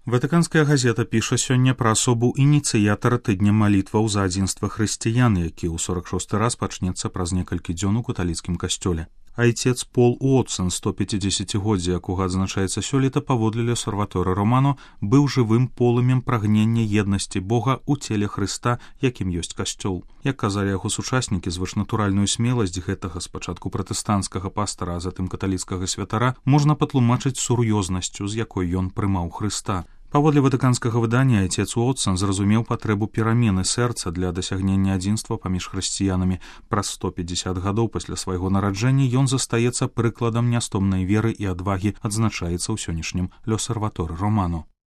Ватыканская газета піша сёння пра асобу ініцыятара тыдня малітваў за адзінства хрысціян, які ў 46-й раз пачнецца праз некалькі дзён у каталіцкім касцёле. Айцец Пол Уотсон, 150-годдзе якога адзначаецца сёлета, паводле Л'Осерваторе Романо, быў жывым полымем прагнення еднасці Бога ў целе Хрыста, якім ёсць касцёл. Як казалі яго сучаснікі, звышнатуральную смеласць гэтага спачатку пратэстанцкага пастара, а затым каталіцкага святара можна патлумачыць сур'ёзнасцю, з якой ён прымаў Хрыста. Паводле ватыканскага выдання айцец Уотсон зразумеў патрэбу перамены сэрца для дасягнення адзінства паміж хрысціянамі. Праз 150 гадоў пасля свайго нараджэння ён застаецца прыкладам нястомнай веры і адвагі, адзначаецца ў сённяшнім Л'Осерваторе Романо.